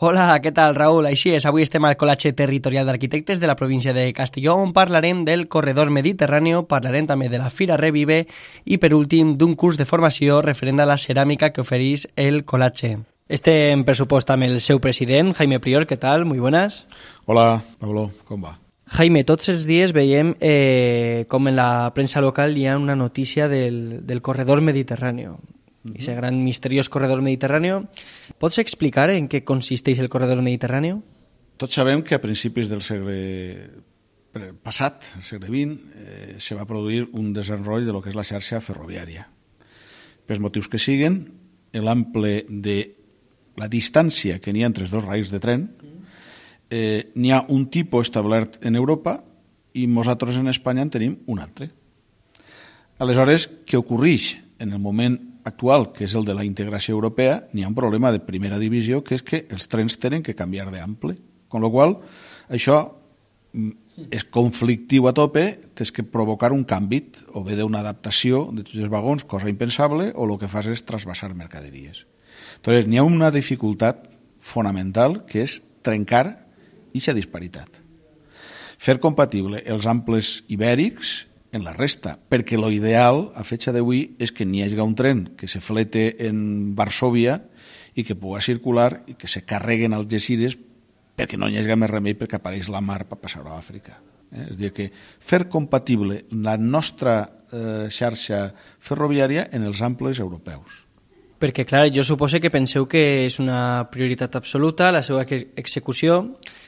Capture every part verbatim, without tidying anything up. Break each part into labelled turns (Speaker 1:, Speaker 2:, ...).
Speaker 1: Hola, què tal, Raül? Així és, avui estem al Col·legi Territorial d'Arquitectes de la província de Castelló, on parlarem del corredor mediterrani, parlarem també de la Fira Revive i, per últim, d'un curs de formació referent a la ceràmica que ofereix el Col·legi. Estem, per supost, amb el seu president, Jaime Prior. ¿Qué tal? Muy buenas.
Speaker 2: Hola, Pablo, com va?
Speaker 1: Jaime, tots els dies veiem eh, com en la premsa local hi ha una notícia del, del corredor mediterrani. Uh-huh. Ese gran misteriós corredor mediterrani. Pots explicar en què consisteix el corredor mediterrani?
Speaker 2: Tots sabem que a principis del segle passat, el segle vint, eh, se va produir un desenrotll de lo que és la xarxa ferroviària. Per motius que siguen, l'ample de la distància que n'hi ha entre els dos rails de tren, eh, n'hi ha un tipus establert en Europa i nosaltres en Espanya en tenim un altre. Aleshores, què ocorreix en el moment actual, que és el de la integració europea? N'hi ha un problema de primera divisió, que és que els trens tenen que canviar d'ample, amb la qual cosa això és conflictiu a tope, tens que provocar un canvi, o bé d'una adaptació de tots els vagons, cosa impensable, o el que fas és trasbassar mercaderies. Entonces, n'hi ha una dificultat fonamental, que és trencar aquesta disparitat. Fer compatible els amples ibèrics en la resta, perquè l'ideal a fecha d'avui és que n'hi hagi un tren que se flete en Varsovia i que pugui circular i que se carreguen als Algesires perquè no hi hagi més remei perquè apareix la mar per passar a Àfrica. Eh? És a dir, que fer compatible la nostra eh, xarxa ferroviària en els amples europeus.
Speaker 1: Perquè, clar, jo suposo que penseu que és una prioritat absoluta la seva execució,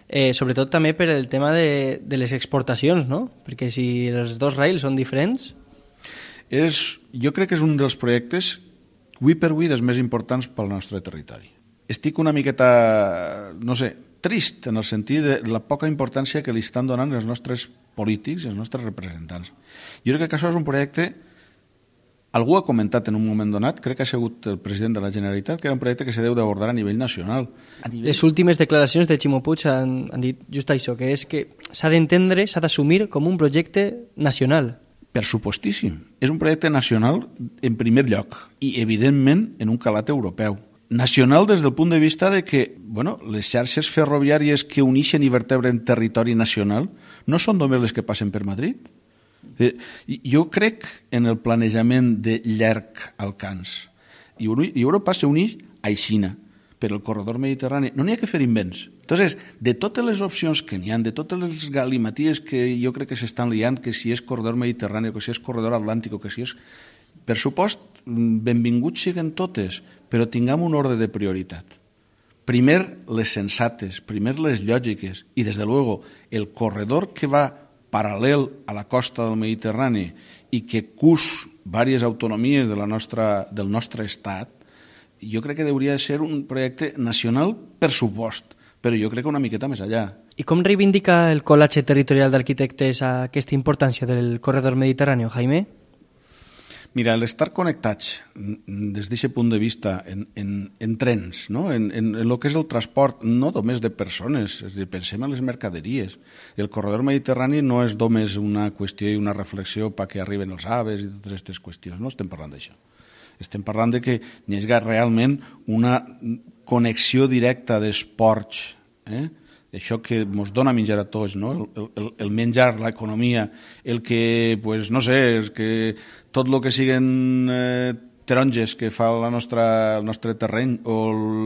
Speaker 1: eh, sobretot també per el tema de, de les exportacions, no? Perquè si els dos rails són diferents...
Speaker 2: És, jo crec que és un dels projectes, avui per avui, dels més importants pel nostre territori. Estic una miqueta, no sé, trist en el sentit de la poca importància que li estan donant els nostres polítics, els nostres representants. Jo crec que això és un projecte... Algú ha comentat en un moment donat, crec que ha sigut el president de la Generalitat, que era un projecte que se deu d'abordar a nivell nacional. A nivell...
Speaker 1: Les últimes declaracions de Ximo Puig han, han dit just això, que és que s'ha d'entendre, s'ha d'assumir com un projecte nacional.
Speaker 2: Per supostíssim. És un projecte nacional en primer lloc i, evidentment, en un calat europeu. Nacional des del punt de vista de que bueno, les xarxes ferroviàries que uneixen i vertebren territori nacional no són només les que passen per Madrid. Jo crec en el planejament de llarg alcance i Europa s'uneix a Xina per el corredor mediterrani. No n'hi ha que fer invents. Entonces, de totes les opcions que n'hi ha, de totes les galimaties que jo crec que s'estan liant, que si és corredor mediterrani, que si és corredor atlàntic, que si és... Per supost, benvinguts siguen totes, però tinguem un ordre de prioritat. Primer les sensates, primer les lògiques i, des de luego, el corredor que va paral·lel a la costa del Mediterrani i que cus diverses autonomies de la nostra, del nostre estat, jo crec que hauria de ser un projecte nacional per supost, però jo crec que una miqueta més allà.
Speaker 1: I com reivindica el Col·legi Territorial d'Arquitectes aquesta importància del corredor mediterrani, Jaime?
Speaker 2: Mira, l'estar connectats des d'aquest punt de vista en, en, en trens, no? en, en, en el que és el transport, no només de persones, és a dir, pensem en les mercaderies. El corredor mediterrani no és només una qüestió i una reflexió perquè arriben els aves i totes aquestes qüestions, no estem parlant d'això. Estem parlant de que n'hi hagi realment una connexió directa dels ports, eh? Això que ens dona menjar a tots, no? el, el, el menjar, l'economia, el que, pues, no sé, és que tot el que siguen eh, taronges que fa la nostra, el nostre terreny o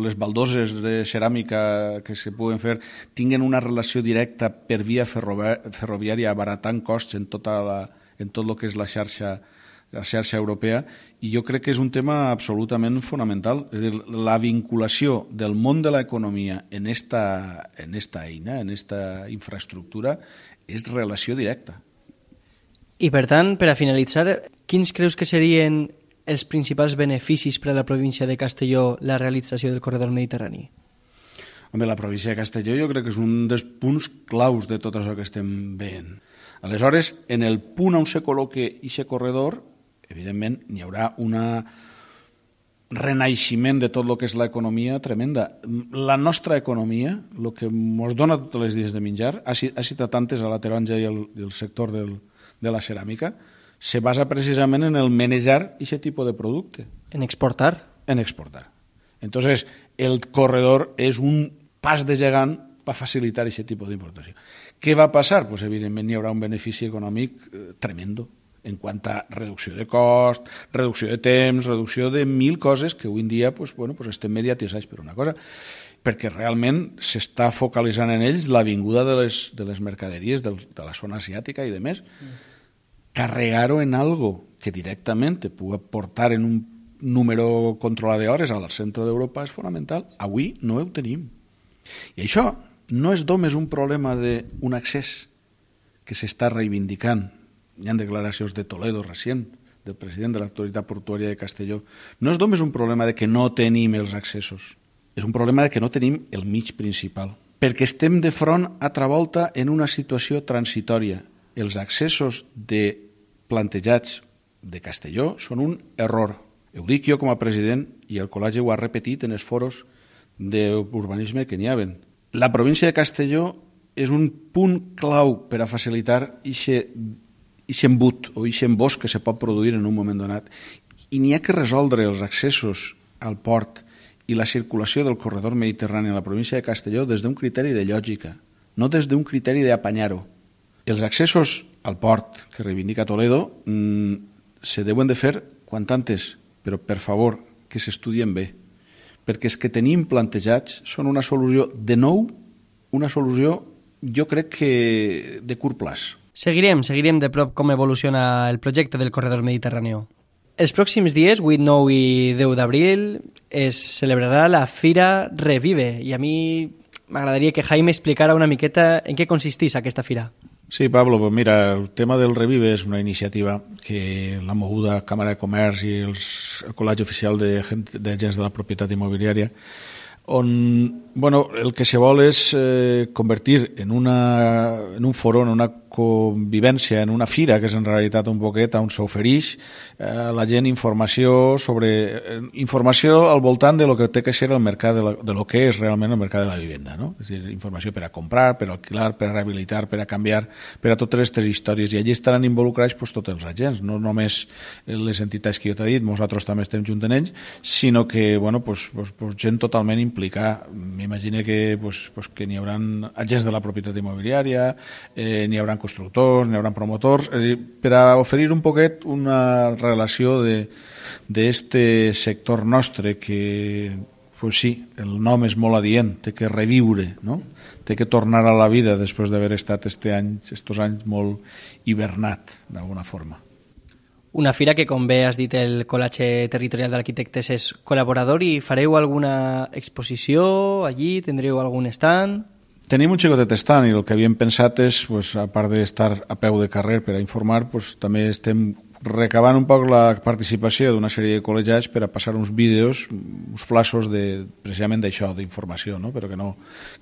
Speaker 2: les baldoses de ceràmica que se puguen fer tinguen una relació directa per via ferroviària abaratant costs en, tota la, en tot el que és la xarxa la xarxa europea, i jo crec que és un tema absolutament fonamental. És a dir, la vinculació del món de l'economia en esta, en esta eina, en esta infraestructura, és relació directa.
Speaker 1: I per tant, per a finalitzar, quins creus que serien els principals beneficis per a la província de Castelló la realització del corredor mediterrani?
Speaker 2: Home, la província de Castelló jo crec que és un dels punts claus de tot això que estem veient. Aleshores, en el punt on se col·loque aquest corredor, evidentment, n'hi haurà un renaixement de tot el que és l'economia tremenda. La nostra economia, el que ens dona tots els dies de menjar, ha citat antes a la taronja i el, i el sector del, de la ceràmica, se basa precisament en el manejar aquest tipus de producte.
Speaker 1: En exportar.
Speaker 2: En exportar. Entonces, el corredor és un pas de gegant va facilitar aquest tipus d'importació. Què va passar? Pues, evidentment hi haurà un benefici econòmic eh, tremendo en quant a reducció de cost, reducció de temps, reducció de mil coses que avui en dia pues, bueno, pues estem mediatitzats per una cosa, perquè realment s'està focalitzant en ells la vinguda de les, de les mercaderies del, de la zona asiàtica i de més. Mm. Carregar-ho en algo que directament te pugui portar en un número controlat d'hores al centre d'Europa és fonamental. Avui no ho tenim. I això no és només un problema d'un accés que s'està reivindicant. Hi ha declaracions de Toledo recent, del president de l'autoritat portuària de Castelló. No és només un problema de que no tenim els accessos, és un problema de que no tenim el mig principal, perquè estem de front altra volta en una situació transitòria. Els accessos de plantejats de Castelló són un error. Ho dic jo com a president i el col·legi ho ha repetit en els foros d'urbanisme que n'hi ha. La província de Castelló és un punt clau per a facilitar aquest embut o aquest embosc que se pot produir en un moment donat. I n'hi ha que resoldre els accessos al port i la circulació del corredor mediterrani a la província de Castelló des d'un criteri de lògica, no des d'un criteri d'apanyar-ho. Els accessos al port que reivindica Toledo mmm, se deuen de fer quant antes, però per favor que s'estudien bé, perquè els que tenim plantejats són una solució, de nou, una solució jo crec que de curt plaç.
Speaker 1: Seguirem, seguirem de prop com evoluciona el projecte del corredor mediterrani. Els pròxims dies, vuit, nou i deu d'abril, es celebrarà la Fira Revive i a mi m'agradaria que Jaime explicara una miqueta en què consisteix aquesta fira.
Speaker 2: Sí, Pablo, pues mira, el tema del Revive és una iniciativa que la moguda Càmera de Comerç i els, el Col·legi Oficial d'Agents de, de la Propietat Immobiliària, on bueno, el que se vol és eh, convertir en, una, en un foro, en una convivència, en una fira, que és en realitat un poquet on s'ofereix eh, a la gent informació sobre eh, informació al voltant de lo que té que ser el mercat de, la, de lo que és realment el mercat de la vivenda, no? És a dir, informació per a comprar, per a alquilar, per a rehabilitar, per a canviar, per a totes aquestes històries. I allí estaran involucrats pues, tots els agents, no només les entitats que jo t'he dit, nosaltres també estem junt en ells, sinó que bueno, pues, pues, pues, gent totalment implicada. M'imagino que, pues, pues, que n'hi haurà agents de la propietat immobiliària, eh, n'hi haurà constructors, n'hi haurà promotors, eh, per a oferir un poquet una relació d'este sector nostre que, pues sí, el nom és molt adient, té que reviure, no? Té que tornar a la vida després d'haver estat este any, estos anys molt hibernat, d'alguna forma.
Speaker 1: Una fira que, com bé has dit, el Col·legi Territorial d'Arquitectes és col·laborador i fareu alguna exposició allí? Tindreu algun stand?
Speaker 2: Tenim un xicotet stand i el que havíem pensat és, pues, a part d'estar a peu de carrer per a informar, pues, també estem recabant un poc la participació d'una sèrie de col·legiats per a passar uns vídeos, uns flashes de, precisament d'això, d'informació, no? Però que no,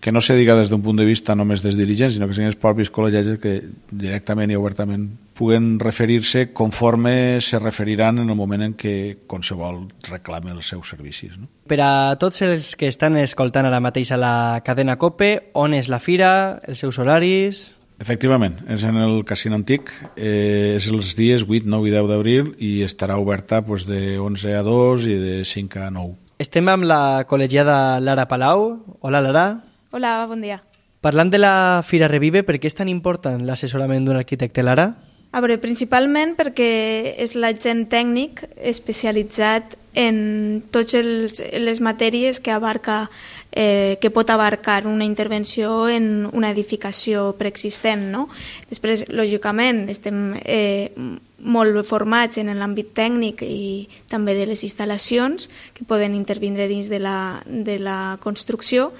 Speaker 2: que no se diga des d'un punt de vista només dels dirigents, sinó que siguin els propis col·legiats que directament i obertament puguen referir-se conforme se referiran en el moment en què qualsevol reclame els seus servicis, no?
Speaker 1: Per a tots els que estan escoltant ara mateix a la cadena COPE, on és la fira, els seus horaris?
Speaker 2: Efectivament, és en el Casino Antic, eh, és els dies vuit, nou i deu d'abril i estarà oberta pues, de onze a dos i de cinc a nou.
Speaker 1: Estem amb la col·legiada Lara Palau. Hola, Lara.
Speaker 3: Hola, bon dia.
Speaker 1: Parlant de la Fira Revive, per què és tan important l'assessorament d'un arquitecte, Lara?
Speaker 3: A veure, principalment perquè és l'agent tècnic especialitzat en totes les matèries que abarca eh, que pot abarcar una intervenció en una edificació preexistent, no? Després, lògicament, estem eh, molt formats en l'àmbit tècnic i també de les instal·lacions que poden intervindre dins de la, de la construcció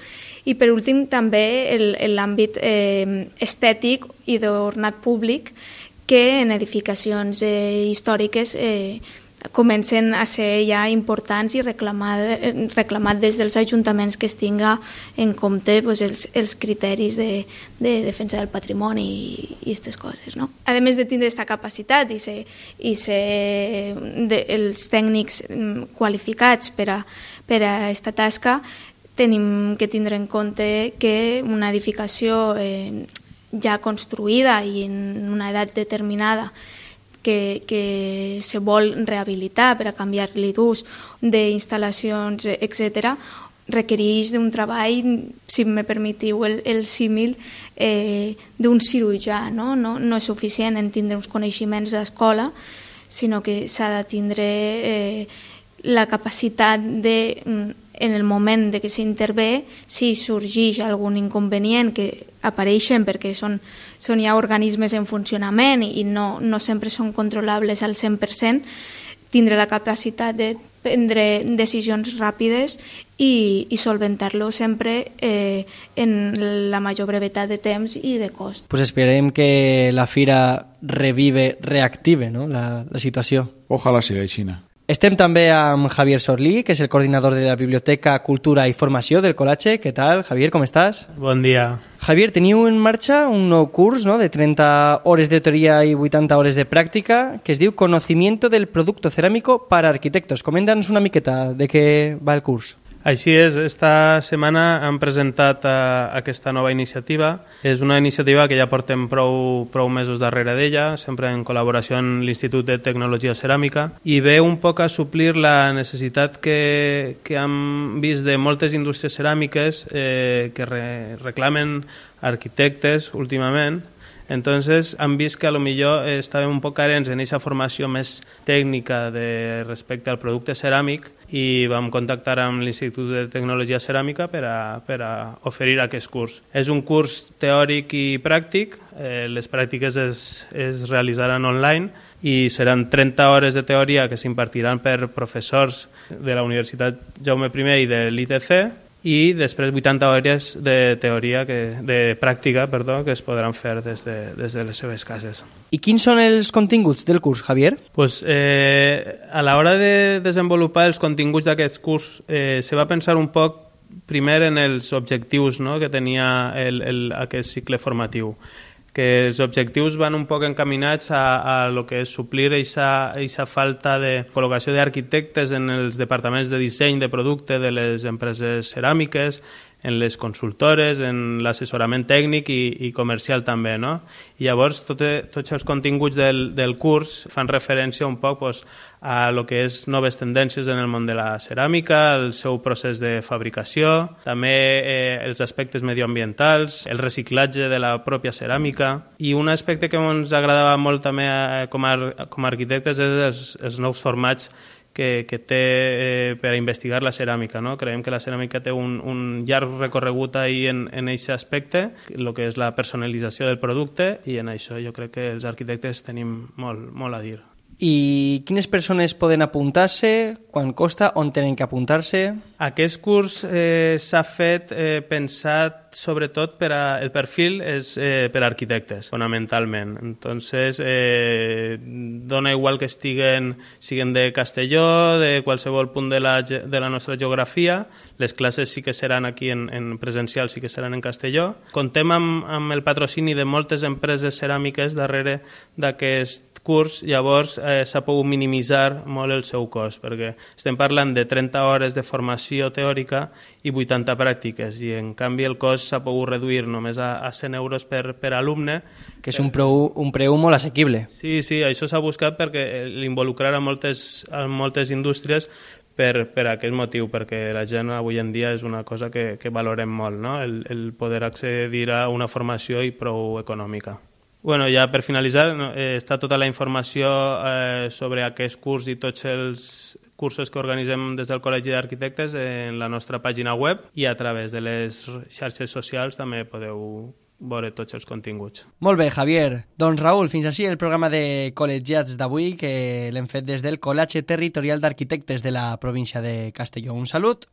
Speaker 3: i, per últim, també l'àmbit eh, estètic i d'ornat públic que en edificacions eh, històriques eh, comencen a ser ja importants i reclamat, reclamat des dels ajuntaments que es tinga en compte pues, els, els criteris de, de defensa del patrimoni i aquestes coses. No? A més de tindre aquesta capacitat i ser, i ser de, els tècnics qualificats per a, per a aquesta tasca, tenim que tindre en compte que una edificació eh, ja construïda i en una edat determinada que, que se vol rehabilitar per a canviar-li d'ús, d'instal·lacions, etcètera, requereix d'un treball, si me permetiu el, el símil, eh, d'un cirurgià, no? No, no és suficient en tindre uns coneixements d'escola, sinó que s'ha de tindre eh, la capacitat de, en el moment de que s'intervé, si sorgeix algun inconvenient, que apareixen perquè són, són ja organismes en funcionament i no, no sempre són controlables al cent per cent, tindre la capacitat de prendre decisions ràpides i, i solventar-lo sempre eh, en la major brevetat de temps i de cost.
Speaker 1: Pues esperem que la fira revive, reactive, no? la, la situació.
Speaker 2: Ojalà sigui així.
Speaker 1: Estem també amb Javier Sorlí, que és el coordinador de la Biblioteca, Cultura i Formació del Col·latge. Què tal, Javier, com estàs?
Speaker 4: Bon dia.
Speaker 1: Javier, teniu en marxa un nou curs, no?, de trenta hores de teoria i vuitanta hores de pràctica, que es diu Conocimiento del Producto Cerámico para Arquitectos. Coméntanos una miqueta de què va el curs.
Speaker 4: Així és, esta setmana han presentat uh, aquesta nova iniciativa. És una iniciativa que ja portem prou, prou mesos darrere d'ella, sempre en col·laboració amb l'Institut de Tecnologia Ceràmica, i ve un poc a suplir la necessitat que, que hem vist de moltes indústries ceràmiques eh, que re, reclamen arquitectes últimament. Entonces han vist que a lo millor estàvem un poc carents en aquesta formació més tècnica de respecte al producte ceràmic i vam contactar amb l'Institut de Tecnologia Ceràmica per a, per a oferir aquest curs. És un curs teòric i pràctic, eh, les pràctiques es, es realitzaran online i seran trenta hores de teoria que s'impartiran per professors de la Universitat Jaume I i de l'I T C, i després vuitanta hores de teoria, que, de pràctica, perdó, que es podran fer des de, des de les seves cases.
Speaker 1: I quins són els continguts del curs, Javier?
Speaker 4: Pues, eh, a l'hora de desenvolupar els continguts d'aquest curs eh, se va pensar un poc primer en els objectius, no?, que tenia el, el, aquest cicle formatiu, que els objectius van un poc encaminats a, a lo que és suplir aquesta falta de col·locació d'arquitectes en els departaments de disseny de producte de les empreses ceràmiques, en les consultores, en l'assessorament tècnic i, i comercial també, no? I llavors tot, tots els continguts del, del curs fan referència un poc pues, a lo que és noves tendències en el món de la ceràmica, el seu procés de fabricació, també eh, els aspectes medioambientals, el reciclatge de la pròpia ceràmica, i un aspecte que ens agradava molt també eh, com, a, com a arquitectes és els, els nous formats que, que té eh, per a investigar la ceràmica, no? Creiem que la ceràmica té un, un llarg recorregut ahí en aquest aspecte, el que és la personalització del producte, i en això jo crec que els arquitectes tenim molt, molt a dir.
Speaker 1: I quines persones poden apuntar-se? Quan costa? On tenen que apuntar-se?
Speaker 4: Aquest curs eh, s'ha fet eh, pensat sobretot per a, el perfil és eh, per a arquitectes, fonamentalment. Entonces, eh, dona igual que estiguen, siguen de Castelló, de qualsevol punt de la, de la nostra geografia. Les classes sí que seran aquí en, en presencial, sí que seran en Castelló. Contem amb, amb el patrocini de moltes empreses ceràmiques darrere d'aquest curs, llavors eh, s'ha pogut minimitzar molt el seu cost, perquè estem parlant de trenta hores de formació teòrica i vuitanta pràctiques, i en canvi el cost s'ha pogut reduir només a, a cent euros per, per alumne.
Speaker 1: Que és un preu, un preu molt assequible.
Speaker 4: Sí, sí, això s'ha buscat perquè l'involucrar a moltes, a moltes indústries per, per aquest motiu, perquè la gent avui en dia és una cosa que, que valorem molt, no? el, el poder accedir a una formació i prou econòmica. Bueno, ja per finalitzar, eh, està tota la informació eh, sobre aquest curs i tots els cursos que organitzem des del Col·legi d'Arquitectes en la nostra pàgina web, i a través de les xarxes socials també podeu veure tots els continguts.
Speaker 1: Molt bé, Javier. Doncs Raül, fins així el programa de col·legiats d'avui, que l'hem fet des del Col·legi Territorial d'Arquitectes de la província de Castelló. Un salut.